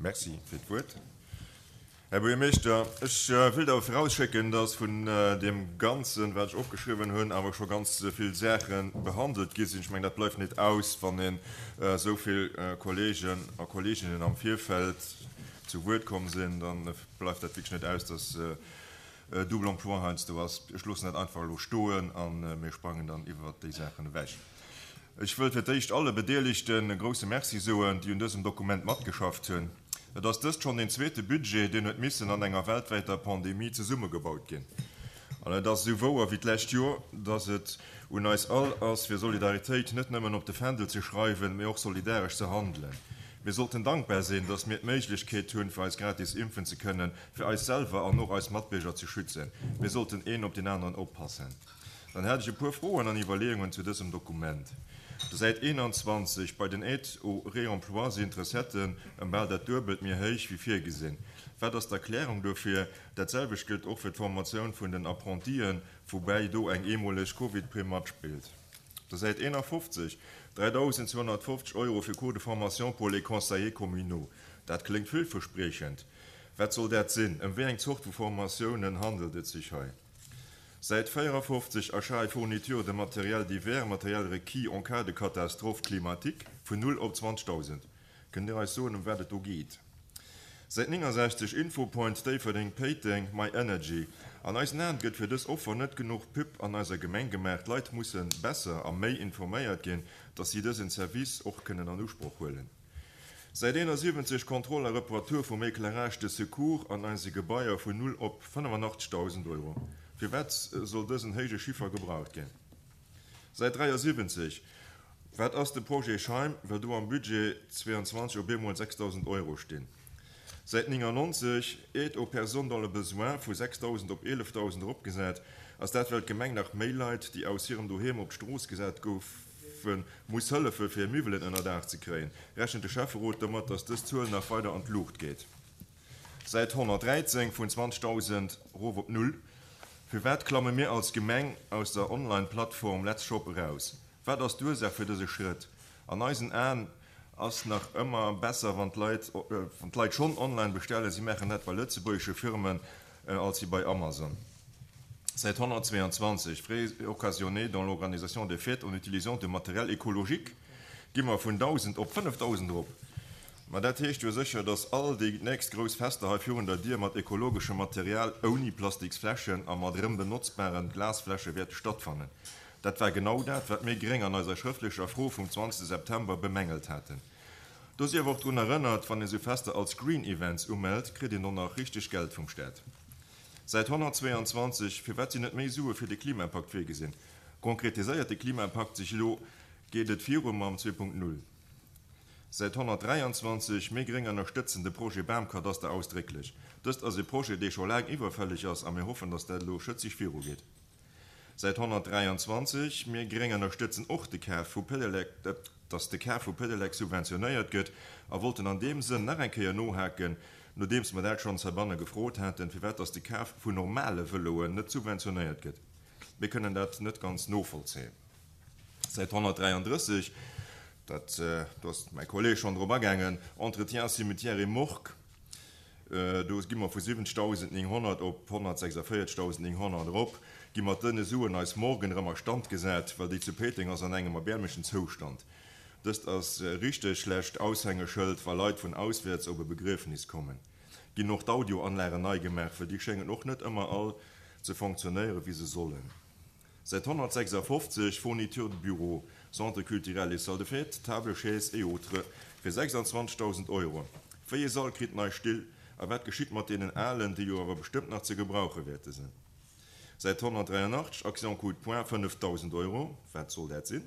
Merci fir d'Wuert, Här Buergermeeschter. Ech wëllt awer virausschécken, dass vun deem Ganzen, wat ech opgeschriwwen hunn, awer scho ganz vill Saache behandelt gi sinn. Ech mengen, dat bleift net aus, wann een esou vill Kollegen a Kolleginnen am Virfeld zu Wuert komm sinn, da bleift dat wierklech net aus, dass Double emploi heiansdo ass. Ech loossen dat einfach elo stoen a mir sprangen dann iwwert déi Saachen ewech. Ech wëll fir d'éischt alle Bedeelegten e grouse Merci soen, déi un dësem Dokument matgeschafft hunn. Et ass dëst schonn deen zweete Budget, deen huet missen an enger weltwäiter Pandemie zesummegebaut ginn. An et ass esou wouer wéi d'lescht Joer, dass et un eis all ass, fir Solidaritéit net nëmmen op de Fändel ze schreiwen, mee och solidaresch ze handelen. Mir sollten dankbar sinn, dass mir d'Méiglechkeet hunn, fir eis gratis impfen ze kënnen, fir eis selwer an och eis Matbierger ze schützen. Mir sollten een op deen aneren oppassen. Dann hätt ech e puer Froen an Iwwerleeungen zu dësem Dokument. Der Säit 21, Bei den Aides au réemploi sinn d'Recetten ëm bal dat Duebelt méi héich wéi virgesinn. Wat ass d'Erklärung dofir? Dat selwecht gëllt och fir d'Formatioun vun den Apprentien, woubäi do eng eemoleg Covid-Primm matspillt. Op der Säit 51, 3.250 Euro fir Cours de formation pour les conseillers communaux. Dat kléngt villverspriechend. Wat soll dat sinn? Ëm wéi eng Zort vu Formatiounen handelt et sech hei? Säit 54, Achat et fourniture de matériel divers, matériel requis en cas de catastrophe climatique, vun 0 op 20.000. Kënnt Dir eis soen, ëm wat et do geet? Säit 69, Infopoint Déifferdeng, Péiteng, My Energy. An eisen Aen gëtt fir dës Offer net genuch Pub an eiser Gemeng gemaach. D'Leit musse besser a méi informéiert ginn, dass si dësen Service och kënnen an Usproch huelen. Säit 71 Contrôle a Reparatur vum Éclairage de secours an eise Gebaier vun 0 op 85.000 Euro. Firwat soll dësen héije Chiffer gebraucht ginn? Säit 73 Wat ass de Projet Scheim, well do am Budget 22 op eemol 6.000 Euro stinn? Säit 99 Aide aux personnes dans le besoin vu 6.000 op 11.000 eropgesat. Ass dat well d'Gemeng nach méi Leit, déi aus hirem Doheem op d'Strooss gesat goufen, muss hëllefe fir Miwwelen ënner Daach ze kréien, rechent de Schäfferot domat, datt dës Zuel nach weider an d'Luucht geet. Säit 113, vun 20.000 erof op null. Firwat klamme mir als Gemeng aus der Online-Plattform Let's Shop eraus? Wat ass d'Ursaach fir dëse Schrëtt? An eisen Aen ass nach ëmmer besser, wann d'Leit schonn online bestellen, si maachen dat bei lëtzebuergesche Firmen, als wéi bei Amazon. Säit 122, Frais occasionnés dans l'organisation des fêtes en utilisant de matériel écologique, gi mer vun 1.000 op 5.000 erop. Ma dat heescht jo sécher, dass all déi nächst grouss Fester hei virun der Dier mat ekologeschem Material, ouni Plastiksfläschen a mat erëm benotzbaren Glasfläsche wäerte stattfannen. Dat war genau dat, wat mir Gréng an eiser schrëftlecher Fro vum 20 September bemängelt haten. Do sief och drun erënnert, wann ee sou Fester als Green Events umellt, kritt een och nach richteg Geld vum Staat. Säit 122, Firwat sinn net méi Sue fir de Klimapakt virgesinn? Konkretiséiert de Klimapakt sech elo? Geet et viru mam 2.0? Säit 123, Mir Gréng ënnerstëtzen de Projet Bamkadaster ausdrécklech. Dëst ass e Projet, dee scho laang iwwerfälleg ass a mir hoffen, datt dat elo schëtzeg virugeet. Säit 123, Mir Gréng ënnerstëtzen och de Kaf vu Pedelec, dass de Kaf vu Pedelec subventionéiert gëtt a wollten an deem Sënn nach eng Kéier nohaken, nodeems mer dat schonns heibanne gefrot haten, firwat dass de Kaf vun normale Vëloen net subventionéiert gëtt. Mir kënnen dat net ganz novollzéien. Säit 133, dat, do ass mäi Kolleeg schonn drop agaangen, Entretien cimetière et morgue, Do gi mer vu 70.900 op 146.900 erop, gi mat dëne Suen eis Morgen erëm a Stand gesat, well déi zu Péiteng ass an engem erbäermlechen Zoustand. Dëst ass e richteg schlecht Aushängeschëld, wa Leit vun auswäerts op e Begriefnis kommen. Ginn och d'Audioanlagen nei gemaach, well déi schéngen och net ëmmer all ze fonctionnéieren, wéi se sollen. Säit 156, Fournitures de bureau, Centre culturel et salle de fête, Tables, chaises et autres, fir 26.000 Euro. Wéi ee Sall kritt nei Still a wat geschitt mat deenen alen, déi jo awer bestëmmt nach ze gebrauche wäerte sinn? Säit 183, Action coup de poing, 5.000 Euro, wat soll dat sinn?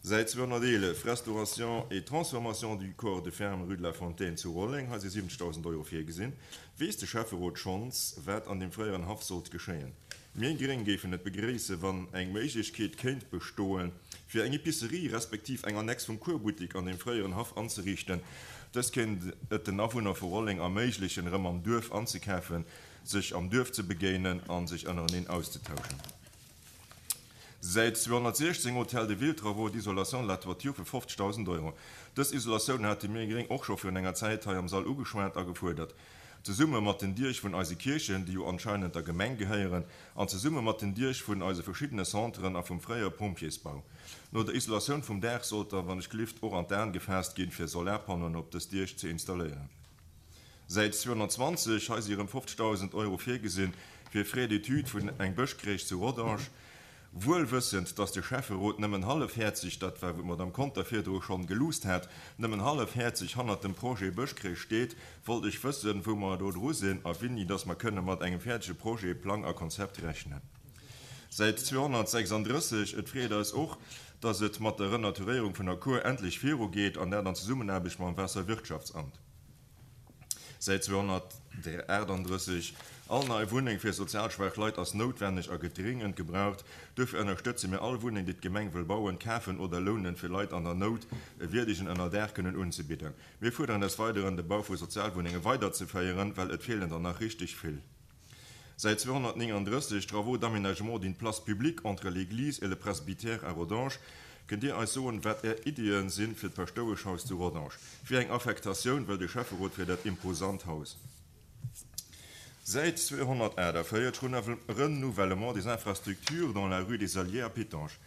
Säit 211, Restauration et transformation du corps de ferme rue de la Fontaine zu Rolleng, hei si 70.000 Euro virgesinn. Weess de Schäfferot schonns, wat an deem fréieren Haff sollt geschéien? Mir Gréng géifen et begréissen, wann eng Méiglechkeet kéint bestoen, fir eng Epicerie respektiv eng Annex vum Kuerbuttik an deem fréieren Haff anzeriichten. Dëst kéint et den Awunner vu Rolleng erméiglechen, erëm am Duerf anzekafen, sech am Duerf ze begéinen a sech ënnereneen auszetauschen. Säit 216, Hôtel de Ville, Travaux d'isolation de la toiture fir 50.000 Euro. Dës Isolatioun hate mir Gréng och scho virun enger Zäit hei am Sall ugeschwat a gefuerdert. Zesumme mat den Diech vun eise Kierchen, déi jo anscheinend der Gemeng gehéieren, an zesumme mat den Diech vun eise verschiddene Centren a vum fréiere Pompjeesbau. No der Isolatioun vum Daach sollt da wann ech glift och an d'Aen gefaasst ginn, fir Solarpannoen op dës Diech ze installéieren. Säit 220, hei si erëm 50.000 Euro virgesinn fir Frais d'études vun eng Bëschcrèche zu Rodange, wuel wëssend, dass de Schäfferot nëmmen hallefhäerzeg, dat war wou d'Madame Conter virdru schonn geluusst hat, nëmmen hallefhäerzeg hannert dem Projet Bëschcrèche steet, wollt ech wëssen, wou mer do dru sinn a winni dass mer kënne mat engem fäerdege Projet, Plang a Konzept rechnen. Säit 236, Et freet eis och, dass et mat der Renaturéierung vun der Kuer endlech virugeet, an dat an Zesummenaarbecht mam Waasserwirtschaftsamt. Säit 238, All nei Wunneng fir sozial schwaach Leit ass noutwenneg a gëtt dringend gebraucht. Duerfir ënnerstëtze mir all Wunneng, déi d'Gemeng wëll bauen, kafen oder lounen, fir Leit an der Nout e wierdegen Ënnerdaach kënnen unzebidden. Mir fuerderen des Weideren, de Bau vu Sozialwunnenge weiderzeféieren, well et feelen der nach richteg vill. Säit 239, Travaux d'aménagement d'une place publique entre l'église et le presbytère à Rodange. Kënnt Dir eis soen, wat Är Iddien sinn fir d'Paschtoueschhaus zu Rodange? Wéi eng Affektatioun wëll de Schäfferot fir dat imposant Haus? Säit 248, Renouvellement des infrastructures dans la rue des Alliés à Pétange.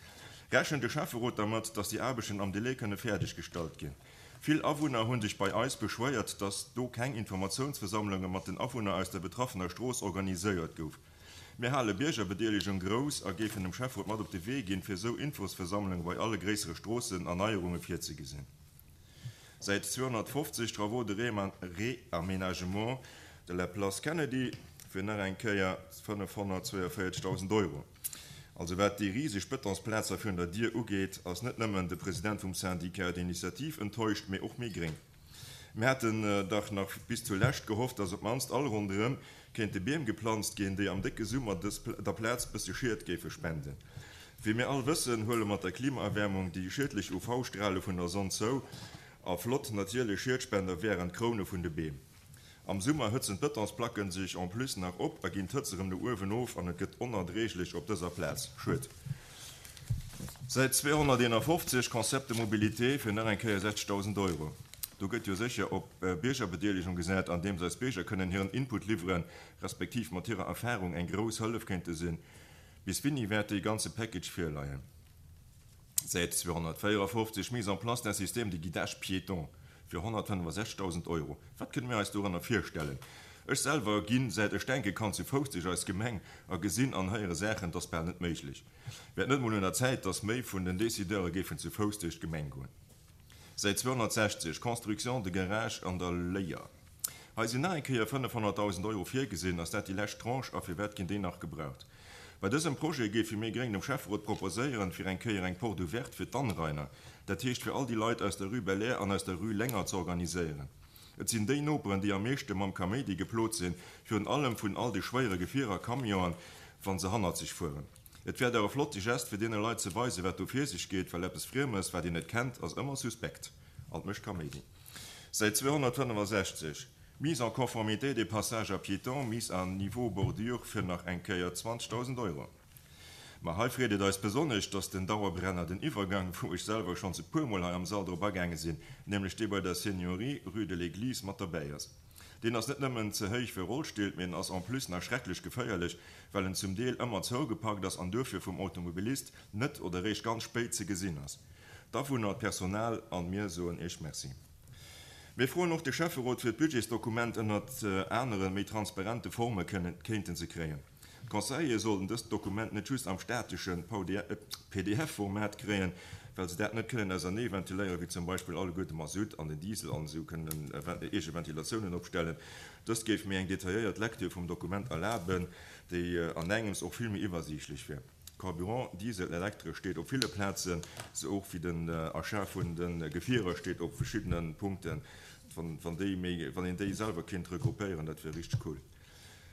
Rechent de Schäfferot dermat, dass déi Aarbechten am Delai kënne fäerdeggestallt ginn? Vill Awunner hunn sech bei eis beschwéiert, dass do keng Informatiounsversammlunge mat den Awunner aus der betraffener Strooss organiséiert gouf. Mir hale Biergerbedeelegung grouss a géifen dem Schäfferot mat op de Wee ginn, fir esou Infosversammlunge bei alle gréissere Stroossenerneierunge virzegesinn. Säit 250, Travaux de réaménagement de la place Kennedy fir nach eng Kéier 542.000 Euro. Also wat déi riseg Betonsplazer virun der Dier ugeet, ass net nëmmen de President vum Syndicat d'initiative enttäuscht, mee och mir Gréng. Mir haten dach nach bis zulescht gehofft, dass op d'mannst all ronderëm kéinte Beem geplanzt ginn, déi am décke Summer dës der Plaz bësse Schied géife spenden. Wéi mir all wëssen, huele mat der Klimaerwäermung déi schiedlech UV-Strale vun der Sonn zou, a flott natierlech Schiedspender wären d'Kroune vun de Beem. Am Summer hëtzen d'Betonsplacken sech en plus nach op a ginn d'Hëtz erëm no uewen of an et gëtt onerdréiglech op dëser Plaz. Schued. Säit 251, Concept de mobilité fir nach eng Kéier 60.000 Euro. Do gëtt jo sécher op Biergerbedeelegung gesat, andeems eis Bierger kënnen hiren Input liwweren, respektiv mat hirer Erfarung eng grouss Hëllef kéinte sinn. Bis winni wäert dee ganze Package virleien? Säit 254, Mise en place d'un système de guidage piéton fir 165.000 Euro. Wat kënne mir eis dorënner virstellen? Ech selwer ginn, säit ech denke kann, zu Fouss duerch eis Gemeng a gesinn an héiere Saachen, 't ass bal net méiglech. Wär et net mol un der Zäit, dass méi vun den Décideure géifen zu Fouss duerch d'Gemeng goen? Säit 260, Construction de garage an der Léier. Hei sinn nach eng Kéier 500.000 Euro virgesinn. Ass dat déi lescht Tranche a firwat ginn déi nach gebraucht? Bei dësem Projet géife mir Gréng dem Schäfferot proposéieren, fir eng Kéier eng Porte ouverte fir d'Anrainer, dat heescht fir all déi Leit aus der Rue Belair an aus der Rue Lenger ze organiséieren. Et sinn déi Noperen, déi am meeschte mam Kaméidi geplot sinn, virun allem vun all de schwéiere Gefierer, Camionen, wa se hannerzeg fueren. Et wär dach e flotte Gest, fir deene Leit ze weisen, wat do vir sech geet, well eppes Friemes, wat een net kennt, ass ëmmer suspekt an mécht Kaméidi. Säit 265, Mise en conformité des passages à piétons, mise à niveau bordure fir nach eng Kéier 20.000 Euro. Ma hei freet et eis besonnesch, dass den Dauerbrenner, den Iwwergang, wou ech selwer schonns e puermol hei am Sall drop agaange sinn, nämlech dee bei der Seniorie, rue de l'Église, mat derbäi ass. Deen ass net nëmmen ze héich fir Rollstill, mee en ass en plus nach schrecklech geféierlech, well en zum Deel ëmmer zougepackt ass an duerfir vum Automobilist net oder eréischt ganz spéit ze gesinn ass. D'Awunner, d'Personal an mir soen Iech Merci. Mir froen och de Schäfferot fir d'Budgetsdokument ënnert anere méi transparente Forme kéinten ze kréien. D'Conseillere sollten dëst Dokument net just am statesche PDF-Format kréien, well se dat net kënnen ausernee ventiléieren, wéi zum Beispill alleguer de Masutt an den Diesel an esou kënnen eege Ventilatiounen opstellen. Dëst géif méi eng detailléiert Lecture vum Dokument erlaben, déi an engems och vill méi iwwersiichtlech wier. Carburant, Diesel, Elektresch steet op ville Plazen, sou och wéi den Achat vun de Gefierer steet op verschiddene Punkten. Wann déi méi, wann een déi selwer kéint regroupéieren, dat wier richteg cool.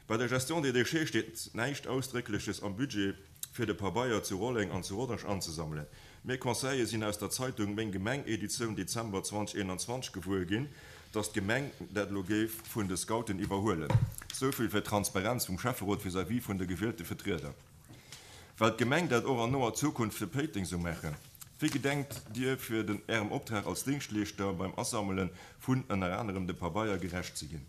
Bei der Gestion des déchets steet näischt Ausdréckleches am Budget, fir de Pabeier zu Rolleng an zu Rodange anzesammelen. Mir Conseiller sinn aus der Zeitung Meng Gemeng, Editioun Dezember 2021, gewuer ginn, dass d'Gemeng dat elo géif vun de Scouten iwwerhuelen. Souvill fir d'Transparenz vum Schäfferot vis-à-vis vun de gewielte Vetrieder. Well d'Gemeng dat och an noer Zukunft fir Péiteng sou maachen? Wéi gedenkt Dir fir den Ärem Optrag als Dingschtleeschter beim Asammelen vun, ënner anerem, de Pabeier gerecht ze ginn?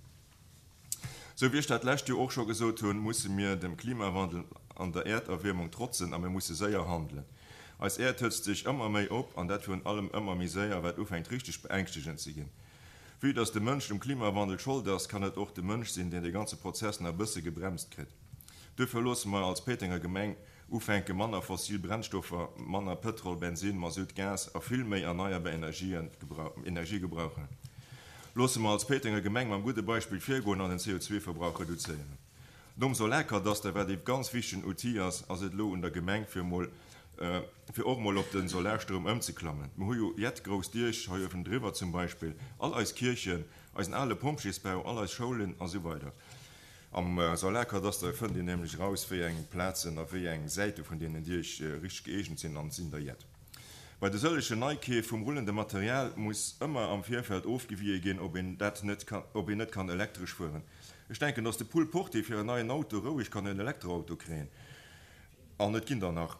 Sou wéi ech dat lescht Joer och scho gesot hunn, musse mir dem Klimawandel an der Äerderwiermung trotzen a mir musse séier handelen. Eis Äerd hëtzt sech ëmmer méi op an dat virun allem ëmmer méi séier, wat ufänkt richteg beängschtegend ze ginn. Vue dass de Mënsch um Klimawandel Schold ass, kann et och de Mënsch sinn, deen de ganze Prozess nach e bësse gebremst kritt. Duerfir loosse mer als Péitenger Gemeng ufänke manner fossil Brennstoffer, manner Pëtrol, Bensin, Masutt, Gas a vill méi erneierbar Energien Energie gebrauchen. Loosse mer als Péitenger Gemeng mam gudde Beispill virgoen an den CO2-Verbrauch reduzéieren. Nom Solarkadaster, wat ee ganz wichtegen Outil ass, ass et elo un der Gemeng fir emol fir och emol op de Solarstroum ëmzeklammen. Mer hu jo jett grouss Diech hei uewendriwwer zum Beispill, all eis Kierchen, eisen ale Pompjeesbau, all eis Schoulen a sou weider. Am Solarkadaster fënnt een nämlech eraus, wéi eng Plazen a wéi eng Säite vun deenen Diech richteg gëeegent sinn, an et sinn der jett. Bei de sëllegen Neikeef vum rullende Material muss ëmmer am Virfeld ofgewie ginn, ob een dat net kann, ob een net kann elektresch fueren. Ech denken, dass de Pull Porté fir en neien Auto roueg kann en Elektroauto kréien. An et ginn der nach.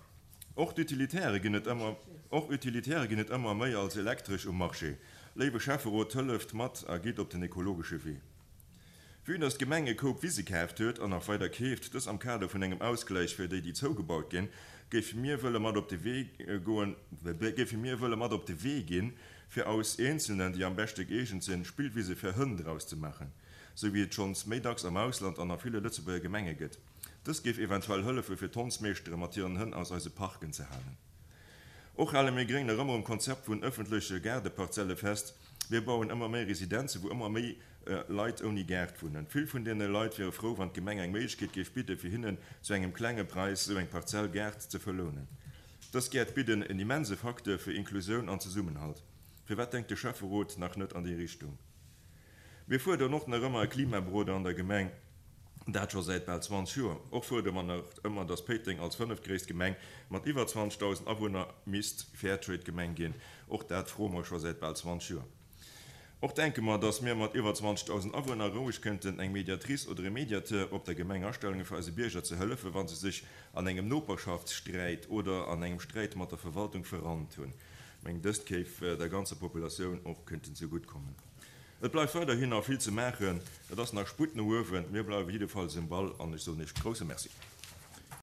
Och d'Utilitäre ginn et ëmmer, och Utilitäre ginn et ëmmer méi als elektresch um Marché. Léiwe Schäfferot, hëlleft mat a gitt op den ekologesche Wee. Vue dass d'Gemeng e Koup Wise kaaft huet an nach weider keeft, dës am Kader vun engem Ausgläich fir déi, déi zougebaut ginn, géife mir wëlle mat op de Wee goen, géife mir wëlle mat op de Wee ginn, fir aus eenzelnen, déi am beschte gëeegent sinn, Spillwise fir Hënn draus ze maachen, sou wéi et schonns méi dacks am Ausland an a ville Lëtzebuerger Gemenge gëtt. Dëst géif eventuell hëllefe fir d'Hondsmeeschtere mat hiren Hënn aus eise Parken ze halen. Och hale mir Gréng nach ëmmer um Konzept vun ëffentleche Gaardeparzelle fest. Mir bauen ëmmer méi Residenze wou ëmmer méi Leit ouni Gaart wunnen. Vill vun deene Leit wiere frou, wann d'Gemeng eng Méiglechkeet géif bidde fir hinnen zu engem klenge Präis esou eng Parzell Gaart ze verlounen. Dës Gäert bidden en immense Facteur fir Inklusioun an Zesummenhalt. Firwat denkt de Schäfferot nach net an déi Richtung? Mir fuerderen och nach ëmmer e Klimaberoder an der Gemeng, dat scho säit bal 20 Joer. Och fuerdere mer nach ëmmer, dass Péiteng als fënneftgréisst Gemeng mat iwwer 20.000 Awunner misst Fairtrade-Gemeng ginn. Och dat froe mer scho säit bal 20 Joer. Och denke mer, dass mir mat iwwer 20.000 Awunner roueg kënnten eng Mediatrice oder e Mediateur op der Gemeng astellen, fir eise Bierger ze hëllefen, wa se sech an engem Noperschaftssträit oder an engem Sträit mat der Verwaltung verrannt hunn. Mengen, dëst géif der ganzer Populatioun och kënnten zegutt kommen. Et bleift weiderhin nach vill ze maachen. Et ass nach Sputt no uewen. Mir bleiwe jiddefalls um Ball an ech soen Iech grouse Merci.